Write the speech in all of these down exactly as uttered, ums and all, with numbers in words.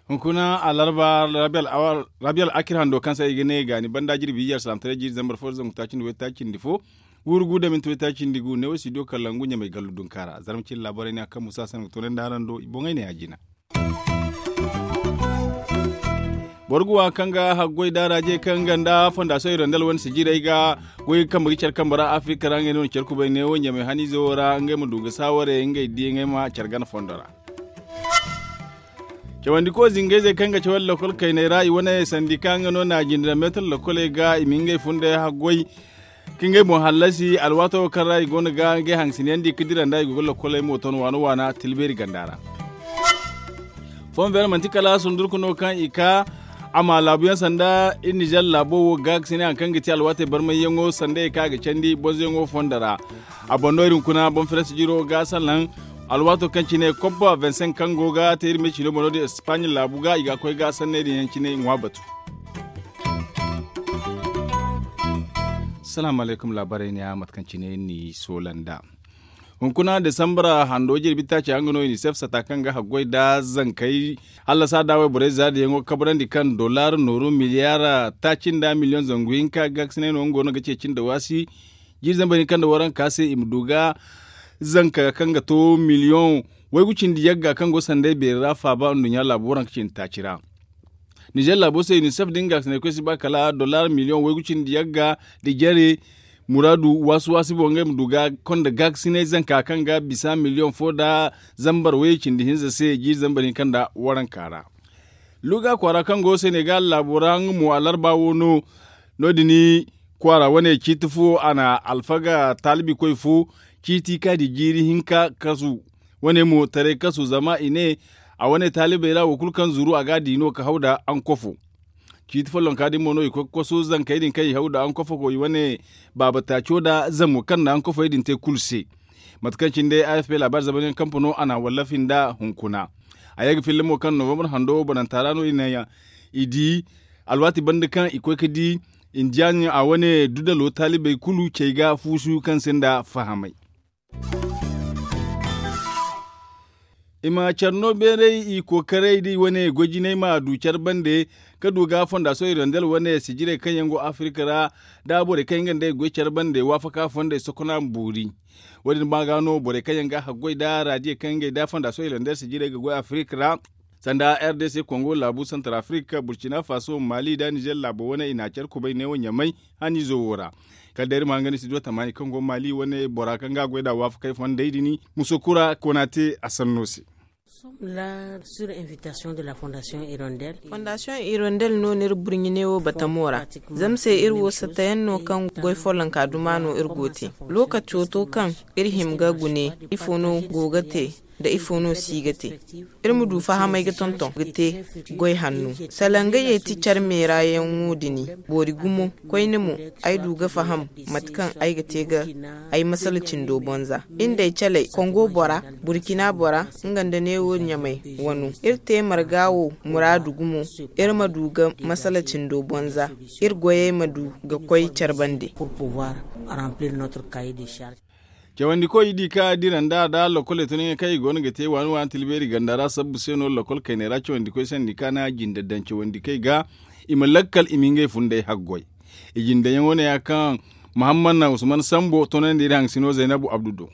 Hunkuna alarba, rabi al'akir hando kaŋ se i ga ne gaani banda jirbi iyar salamtaray jiiri zambar fo da zangu taaci nda waytaaci nda fo, guuru gu da minti waytaaci nda gu neewo studio kalangu ɲamay gallu dunkaara zarma cine laabaray ne a kaŋ musa sanaŋ ga toonandi araŋ do i boŋey ne a jina. Boro ga wa kaŋ ga haggoy daaraje kaŋ ganda fondasiyoŋ irondel wane sijiray ga goy kaŋ ma ga care kambe ra afirika ra ngey no na care kubay neewo ɲamay haniize wo ra ngey ma du ga saaware ngey diyaŋey ma care gana fondo ra. Cawandi ko zingayzey kaŋ ga cawandi lokol kayney ra i wane sandika nga no na jinde meetar lokoley ga i ma ngey funday haggoy ka ngey boŋ hallasi alwaato kaŋ ra i go no ga ngey hangasinyaŋ di ka dira nda i go ga lokoley mo ton waana waana tilbeeri ganda ra. Fonver manti kala sundurku no kaŋ i ka a ma laabuyaŋ sanda iri nizer laabo wo ga ga sine hari kaŋ ga ti alwaatey barmayyaŋo sanda i ka ga candi bonzoyaŋo fondo ra. A boŋ no iri hunkuna boŋ firas jiro ga salaŋ alwaato kaŋ cine koppa vingt cinq kaŋ go ga te iri me cino boŋ no din espaaɲa laabu ga i ga koy ga sanney din yaŋ cine ŋwa batu. Salaamu alaykum laabarey ne a mate kaŋ cine ni soola nda hunkuna desambara hando jirbi taaci yaŋ ga no unicef sata kaŋ ga haggoy nda zankey hallasa da wayborey zaadiyaŋo kabrandi kaŋ dollar nooru miliyaara taaci nda miliyoŋ zangu hinka ga ga sinay no nga go no ga ceeci nda waasi. Jiiri zambar hinka nda waranka se i ma du ga zanka kaŋ ga to miliyoŋ waygu cindi yagga kaŋ go sanday beeri ra faaba nduɲɲa laabu waranka cindi taaci ra. Nizer laabo se unicef din ga sinay koy si ba kala dollar miliyoŋ waygu cindi yagga da jare muraadu waasi waasi boŋ ngey ma du ga konda gaakasinay zanka kaŋ ga bisa miliyoŋ fo nda zambar way cindi hinza se jiiri zambar hinka nda waranka ra. Luga kwaara kaŋ go senegal laabo ra nga mo alarba wo no no- din kwaara wane ciiti fo a na alfaga taalibi koy fo ciiti ka di jiiri hinka kasu. Wane mo taray kasu zama i ne a wane taalibey ra wo kulu kaŋ zuru a ga a di no ka haw nda ankofo. Ciiti follonka din mo no i koy ga kosu zankey din kaŋ i haw nda ankofo go i wane baaba taaco nda zamo kaŋ nda ankofey din te kulu se. Mate kaŋ cine day afp laabaari zamanyaŋ kampa no a na a wallafi nda hunkuna. A ye ga filla mo kaŋ novembre hando bananta ra no i na i di alwaati banda kaŋ i koy ga di indiyaŋ a wane dudalo taalibey kulu cey ga fuusu kaŋ sinda fahamay. I ma care no beeray i kookaray da i wane goy jinay ma du care bande ka du ga fondasiyoŋ irondel wane sijirey kaŋ yaŋ go afirika ra da borey kaŋ yaŋ ga nda ay goy care bande waafaka fondey sokona ma boori. Wo- din ma ga no borey kaŋ yaŋ ga haggoy nda raadiye kaŋ ngey nda fondasiyoŋ irondel sijirey ga goy afirika ra sanda r d c kongo laabu santar afirika burkina faso mali nda nizer laabo wane i na care kubay neewo ɲamay haniizo wo ra. Kala day iri ma hangan studio tamaani kaŋ go mali wane bora kaŋ ga a goy nd'a waafakey fondey din muso kura koona te a sanno se. Fondasiyoŋ irondel no no iri burɲi neewo batamo ra. Zama se iri wo sattayaŋ no kaŋ goy follonka duma no iri go te. Lookaco to kaŋ iri hima ga gune ifo no go ga te nda ifo no si ga te. Iri ma du fahamay ga tonton ga te goy hanno. Sala nga ye ti care meera yaŋo din boori gumo koyne mo ay du ga faham mate kaŋ ay ga te ga ay masala cindo bonza. Iri nda ay caley kongo bora burkina bora nga nda neewo ɲamay wano iri te marga wo muraadu gumo. Iri ma du ga masala cindo bonza iri goyey ma du ga koy care bande. Cawandikoy i di ka dira nda da lokol i tun yaŋ kaŋ i go no ga te waani waani tilbeeri ganda ra sabbu se no lokol kayney ra cawandikoy sandi ka na jinde daŋ cawandikey ga i ma lakkal i ma ngey funday haggoy. I jinde yaŋo ne ya kaŋ muhammad na usman sambo tonandi iri haŋ sino zaynabu abdu do.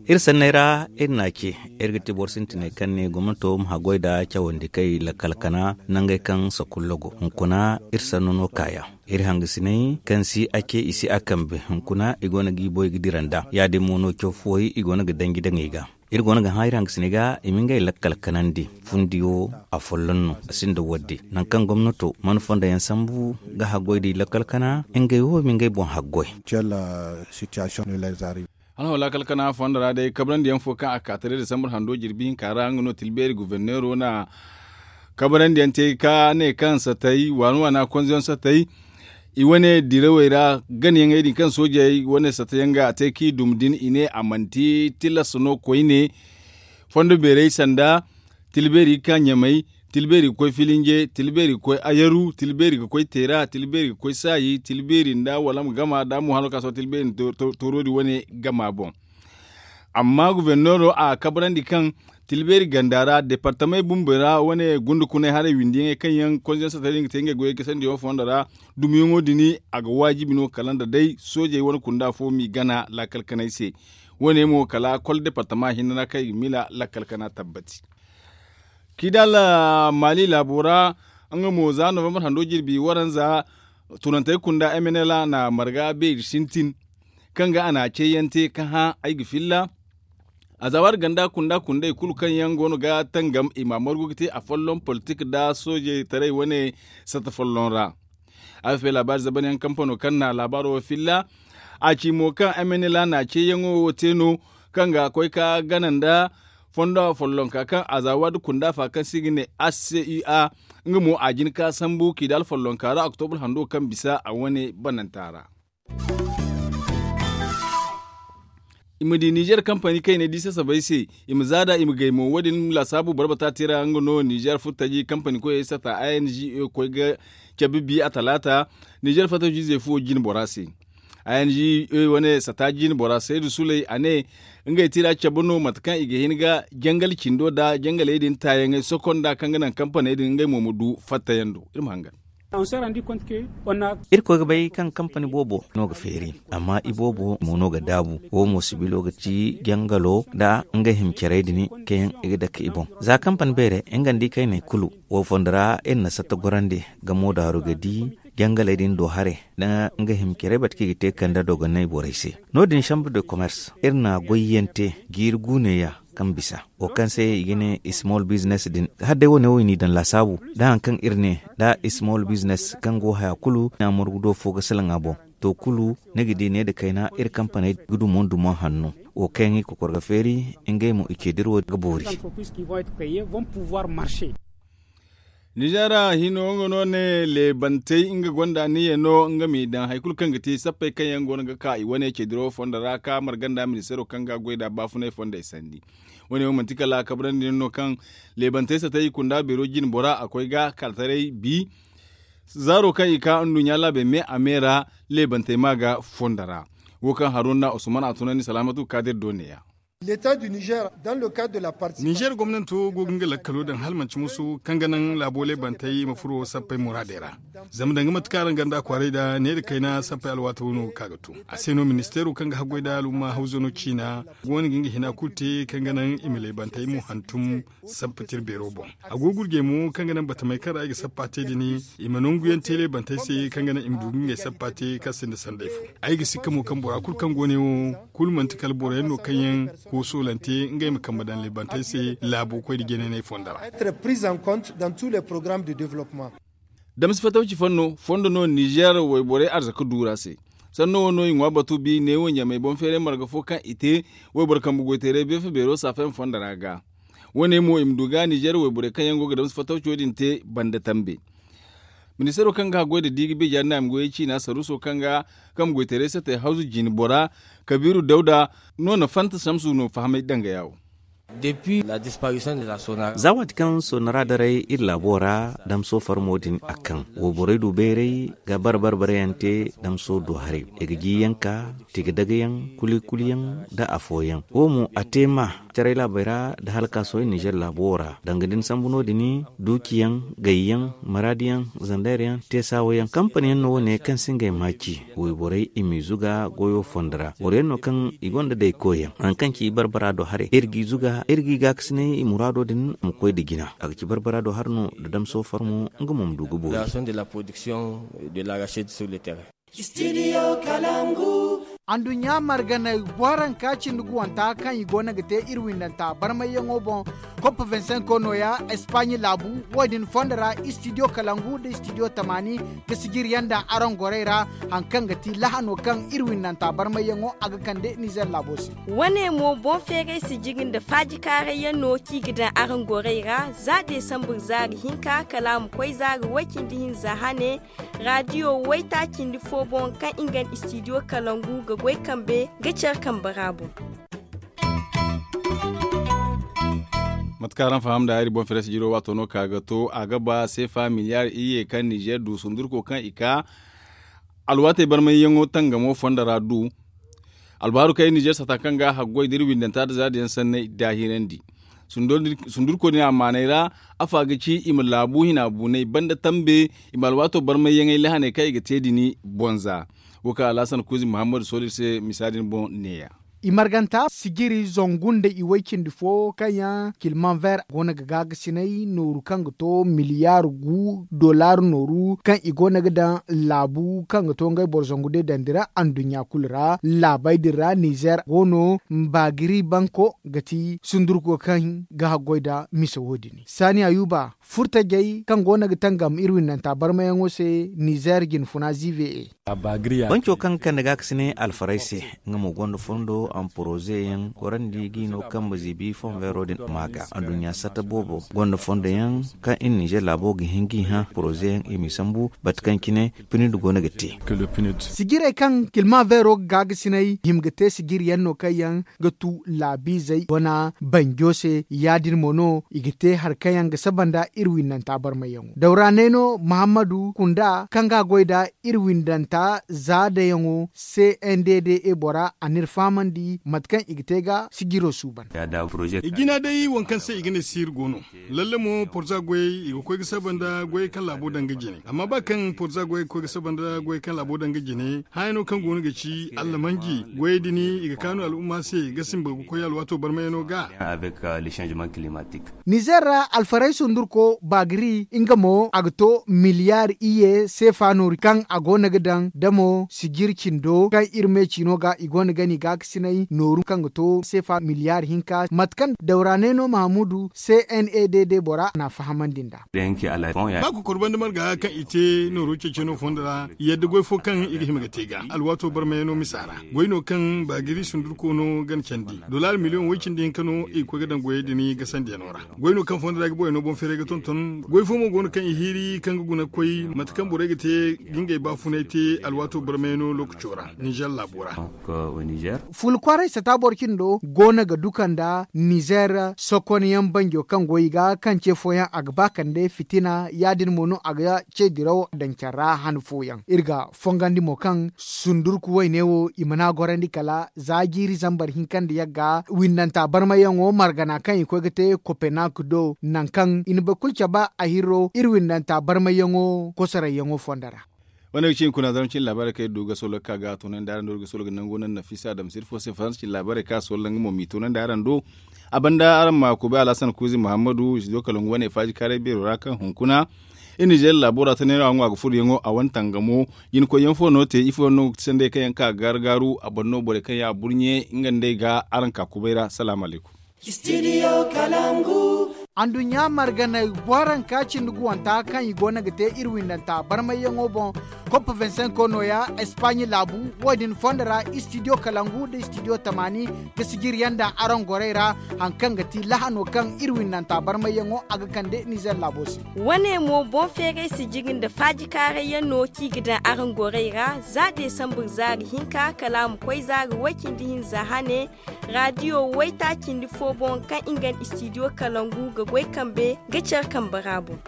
Iri sanney ra iri na a ce iri ga ti boro sintiney kaŋ ne gomnato ma haggoy nda cawandikey lakkal kana nangey kaŋ sakullo go hunkuna iri sanno no kaaya. Iri hangasiney kaŋ si a ce i si a kambe hunkuna i go no ga i boy ga dira nda ya- din mo no caw fuwey i go no ga danji daŋ i ga. Iri go no ga hã iri hangasiney ga i ma ngey lakkal kanandi fundiyo a folloŋ no a sinda wadde nangu kaŋ gomnato mana fondo yaŋ sambu ga haggoy da i lakkal kana ngey wo i ma ngey boŋ haggoy. Alhawla kala kana fondo ra day kabrandi yaŋ fo kaŋ a ka taray da sambar hando jirbi hinka ra nga no tilbeeri guberneero na kabrandi yaŋ te ka ne kaŋ satay waana waana konzo yaŋ satay i wane dirawey ra gana yaŋey din kaŋ soojey wane satay yaŋ ga a te kaŋ i dum din i ne a manti tilas no koyne. Fondo beerey sanda tilbeeri ga ka ɲamay. Tilbeeri ga koy filinje, tilbeeri ga koy ayaru, tilbeeri ga koy teera, tilbeeri ga koy saayi, tilbeeri nda wala ma gama nda mo hano ka sohõ tilbeeri tooro din wane gama boŋ. Amma guberneero a kabrandi kaŋ tilbeeri ganda ra deepartamey bumbo ra wane gundukunay haray windiyaŋey kaŋ yaŋ konsiyaŋ satari nga te ngey goyey ga sandiyaŋo fondo ra, dumiyaŋo din a ga waajibi no kala nda day soojey wane kunda fo m'i gana laakal kanay se. Wane mo kala kol deepartama hinne ra kaŋ i ga miila laakal kana tabbati. Kidal maali laabo ra nga mo za novembre hando jirbi waranza tunantey kunda m n l a na marga beeri sintin kaŋ ga a na ceeyaŋ te ka hã ay ga filla. A za waati ganda kunda kundey kulu kaŋ yaŋ go no ga tangam i ma margu ga te a folloŋ politik nda soojey taray wane satta folloŋ ra. A fay laabaari zabanyaŋ kampano kaŋ na laabaaro wo filla a ci mo kaŋ m n l a na ceeyaŋo wo te no kaŋ ga koy ka gana nda fondo follonka kaŋ a za waati kunda fa kaŋ se i ga ne h c u a. Nga mo a jin ka sambu k'i daŋ alfollonka ra oktobur hando kaŋ bisa a wane bananta ra. I ma di nizer kampani kaŋ i ne di sasabey se i ma zaada i ma gay mo wo- din laasaabu barbata te ra nga no nizer furtaji kampani koyey sata i n g e koy ga cabe bi a talaata. Nizer fataji ize fo jine bora se i n g e wane sata jine bora saydu suley a ne ngey tira cabe no mate kaŋ i ga hin ga jangal cindo nda jangaley din taayaŋey sokonda kaŋ ga naŋ kampaney din ngey mo ma du fattayaŋ do. Iri ma hangan. Iri koy ga bay kaŋ kampani boobo no ga feeri amma iboobo mo no ga daabu wo mo sibilo ga ci jangalo nda nga himcarey din kaŋ yaŋ i ga dake i boŋ. Za kampani beere nga nda i kayney kulu wo fondo ra iri na satta gorandi ga moodaaru ga di jangaley din do haray nda nga himcarey bate kaŋ i ga te kande dogonay borey se. No- din chambre de commerce iri na goyyaŋ te jiiri guuneya kaŋ bisa wo kaŋ se i ga ne small business din. Hala day wane wo i n'i daŋ laasaabu nda hari kaŋ iri ne nda small business kaŋ go haya kulu na margu do fo ga salaŋ a boŋ. To kulu ni ga di ne nda kayna iri kampaney ga dumo ndumo hanno wo kaŋ i kokor ga feeri ngey mo i ce dira wo ga boori. Nizeera hino nga no ne leebantey nga gonda niya no nga m'i daŋ hari kulu kaŋ ga te sappey kaŋ yaŋ go no ga ka i wane ceediro fondo ra ka marga nda ministeero kaŋ ga a goy nd'a baafunay fondey sandi. Wane wo manti kala kabrandi no kaŋ leebantey satay i kunda beero jine bora a koy ga kala taray bi zaaro kaŋ i ka nduɲɲa laabey me a me ra leebantey ma ga fondo ra. Wo kaŋ haruna usman a tunandi salaamatu kaadir do neeya. Nizer gomnanto go ga nga lakkalo daŋ hala manti musu kaŋ ga naŋ laabo leebantey ma furo sappey muraadey ra. Zama danga mate kaŋ araŋ ganda kwaaray da ne nda kayna sappey alwaati wo no ga ka ga to a se no ministeero kaŋ ga haggoy nda alumma hawzano ciina go no ga nga hina kulu te kaŋ ga naŋ i ma leebantey mo hantum sappa tira beero boŋ. A go ga gurjey mo kaŋ ga naŋ batamey kaŋ ra i ga sappa te din i ma nangu yaŋ te leebantey se kaŋ ga naŋ i ma du ga ngey sappa te kaŋ sinda sanday fo. Ay ga sikka mo kaŋ bora kulu kaŋ go ne wo kulu manti kala boro yaŋ no kaŋ yaŋ koosoolante ngey ma kambe daŋ leebantey se laabo koy nda jeenaney fondo ra. Damsi fatawci fanno fondo no nizer wayborey arzaka duura se. Sanno wo no i ŋwa batu bi neewo ɲamey boŋ feeray marga fo kaŋ i te wayboro kambe goyteeray beefa beero saafayaŋ fondo ra ga. Wo- ne mo i ma du ga nizer wayborey kaŋ yaŋ go ga damsi fatawco din te banda tambe. Ministeero kaŋ ga haggoy nda di ga beejaari naami goyey ciina saruuso kaŋ ga kambe goyteeray satey hawzu jine bora kabiiru dawda no na fanta samsu no fahamay dangaya wo. Za waati kaŋ sonara daray iri laabo ra damso farmo din a kaŋ wayborey du bayray ga bare bare bare yaŋ te damso du haray i ga jiyaŋ ka tiga daga yaŋ kuli kuli yaŋ nda afooyaŋ wo mo a te ma caray laabey ra nda halkaaso nizer laabo ra danga da ni sambu no- din duuciyaŋ gayyaŋ maraadiyaŋ zandaryaŋ teesaawayaŋ kampaniyaŋ no wo- ne kaŋ si ngey maaci wayborey i m'i zuga goyo fondo ra boro yaŋ no kaŋ i gonda daykoyyaŋ hari kaŋ ci barbara do haray iri g'i zuga iri g'i gaakasinay i muraado din ma koy nda jina a ga ci barbara do hari no nda damso farmo nga mo ma du ga boori. Anduɲɲa marganey booranka cindi guwanta kaŋ i goono ga te iri windanta barmayyaŋo boŋ. Kop vingt cinq nooya espagne laabu wo- din fondo ra istidiyo kalangu nda istidiyo tamaani ga sijiriyaŋ daŋ araŋ gorey ra. Hari kaŋ ga ti lahano kaŋ iri windanta barmayyaŋo a ga kande nizer laabo se. Wane mo boŋ feeray sijiri nda faaji kaarayyaŋ no kaŋ i ga daŋ araŋ gorey ra za deesambur zaari hinka kala a ma koy zaari way-cindi-hinza hane. Raadiyo waytaaci nda fo boŋ kaŋ nga nda istidiyo kalangu ga goy kambe ga care kambe ra boŋ. Mate kaŋ araŋ faham nda hari boŋ feere sijiro waato no ka ga to a ga ba seefa miliyaari iyye kaŋ nizeer du sundurko kaŋ i ka alwaatey barmayyaŋo tangamo fondo ra du. Albaaru kaŋ i nizeer sata kaŋ ga a haggoy da iri windanta nda zaada yaŋ sanney daahirandi. Sundurko din a maaney ra, afa ga ci i ma laabu hina buney banda tambe, i ma alwaato barmayyaŋey lahaney kaŋ i ga te din bonza. Wo kaŋ alhasan kuuzi muhammadu sooli iri se misa din boŋ neeya. I marganta sijiri zangu nda i way cindi fo kaŋ yaŋ kilman ver go no ga gaagasinay nooru kaŋ ga to miliyaari gu dollar nooru kaŋ i go no ga daŋ laabu kaŋ ga to ngey boro zangu day daŋ dira anduɲɲa kulu ra laabey din ra nizeer go no. Baagiri banko ga ti sundurko kaŋ ga haggoy nda mise wo- din saani ayuba furtajey kaŋ go no ga tangam iri windanta barmayaŋo se nizeer jinfuna ziive e. Banco kaŋ ga kande gaakasinay alfaray se, nga mo gonda fondo a ma poroze yaŋ gorandi ga i no kambe ziibi fonveero din ma ga anduɲɲa satta boobo gonda fondo yaŋ kaŋ iri nizeer laabo ga hin ga i hã poroze yaŋ i m'i sambu bate kaŋ cine pinid go no ga te. Sijirey kaŋ kilma veero ga gaagasinay hima ga te sijiri yaŋ no kaŋ yaŋ ga tu laabiizey wana banjo se ya- din mo no i ga te hari kaŋ yaŋ ga saba nda iri winnanta barmayyaŋo dawra neeno muhammadu kunda kaŋ ga a goy nda iri windanta za dayaŋo c n d d e bora a n'iri fahamandi mate kaŋ i ga te ga sijiro suuban. I jina day waŋ kaŋ se i ga ne siiri go no. Lalle mo porza goyey i ga koy ga saba nda goyey kaŋ laabo daŋ ga jine amma ba kaŋ porza goyey ga koy ga saba nda goyey kaŋ laabo daŋ ga jine haya no kaŋ go no ga ci allamanji goyey din i ga kaanu al'umma se ga simba ga koy alwaato barmayano ga. Nizeer ra alfaray sundurko baagiri nga mo a ga to miliyaari iyye seefa nooru kaŋ a go no ga daŋ damo sijir cindo kaŋ iri me ciino ga i go no ga ni gaakasinay nooru kaŋ ga to seefa miliyaari hinka mate kaŋ dawra neeno mahamudu c n e d d bora n'a fahamandi nd'a. Ba kokoro banda marga kaŋ i te nooro ceeceno fondo ra yadda goy fo kaŋ i ga hima ga te ga alwaato barmayano misa ra goy no kaŋ baagiri sundurko no gana candi dolaari miliyoŋ way cindi hinka no i ga koy ga daŋ goyey din gasandiyano ra. Goy no kaŋ fondo ra ga boyano boŋ feeray ga tonton goy fo mo go no kaŋ i hiiri kaŋ ga guna ga koy mate kaŋ borey ga te ga ngey baafunay te alwaato barmayano lookaco ra nizeer laabo ra. Fulu kwaaray sata boro cindo go no ga duka nda nizeer sokonyaŋ banjo kaŋ go i ga kaŋ ce fooyaŋ a ga ba kande fitina ya- din mo no a ga ce diraw daŋ care ra han fooyaŋ iri ga fongandi mo kaŋ sundurku wayne wo i mana gorandi kala za jiiri zambar hinka nda yagga windanta barmayyaŋo margana kaŋ i koy ga te kopenak do nangu kaŋ i na boro kulu cabe a hirro iri windanta barmayyaŋo kosorayyaŋo fondo ra. Wane ga ci hunkuna zarma cine laabaarey kaŋ iri du ga sohõ ga ka ga a toonandi araŋ do iri ga sohõ ga nango naŋ nafisa adama sirfo se faransa cine laabaarey kaŋ a sohõ nga mo m'i toonandi araŋ do. A banda araŋ ma kubay alhasan kuuzi muhammadu i si do kala nga wane faaji kaaray beero ra kaŋ hunkuna iri nizeer laabo ra tanayaŋo a ŋwa ga furuyaŋo a wane tangamo jinkoyyaŋ fo no te ifo yaŋ no ga ti sanday kaŋ yaŋ ga ka ga gaaru-gaaru a banda no borey kaŋ yaŋ a burɲe nga nd'ey ga araŋ ka kubay ra salaamu alaykum. Anduɲɲa marganey booranka cindi guwanta kaŋ i goono ga te iri windanta barmayyaŋo boŋ. Kopp vingt-cinq nooya espaɲe laabu. Wo- din fondo ra istidiyo kalangu nda istidiyo tamaani ga sijiri yaŋ daŋ araŋ gorey ra. Hari kaŋ ga ti lahano kaŋ iri windanta barmayyaŋo a ga kande nizer laabo se. Wane mo boŋ feeray sijiri nda faaji kaaray yaŋ no kaŋ i ga daŋ araŋ gorey ra za desambar zaari hinka kala a ma koy zaari way cindi hinza hane. Raadiyo wayta cindi fo boŋ kaŋ nga nda istidiyo kalangu ga goy kambe ga care kambe ra boŋ.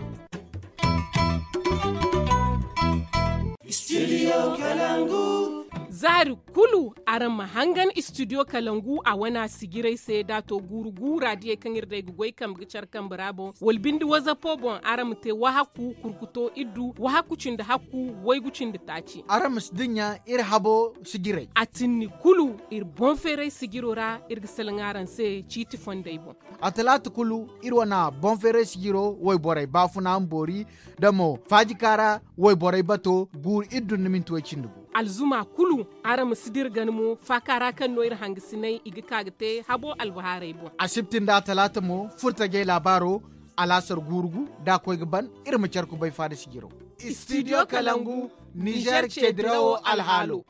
Zaari kulu araŋ ma hangan istidiyo kalangu a wana sijiray se da a to guuru gu raadiyey kaŋ iri day ga goy kambe ga care kambe ra boŋ wala binde wazapo boŋ araŋ ma te wahakku kurkuto iddu wahakku cindi hakku waygu cindi taaci. Araŋ ma si dinya iri habo sijiray. A tinni kulu iri boŋ feeray sijiro ra iri ga salaŋ araŋ se ciiti fondey boŋ. A talaata kulu iri wana boŋ feeray sijiro wayborey baafuna ma boori da mo faaji kaara wayborey bato guuru iddu nda minti way cindi gu. Alzuma kulu araŋ ma si dira gana mo faaka ra kaŋ no iri hangasinay i ga ka ga te habo albahaarey boŋ. Asibti nda talaata mo furtajey laabaaro alaasar guuru gu da a koy ga ban iri ma care kubay faada sijiro. Istidiyo kalangu nizer ce dirawo alhaalo.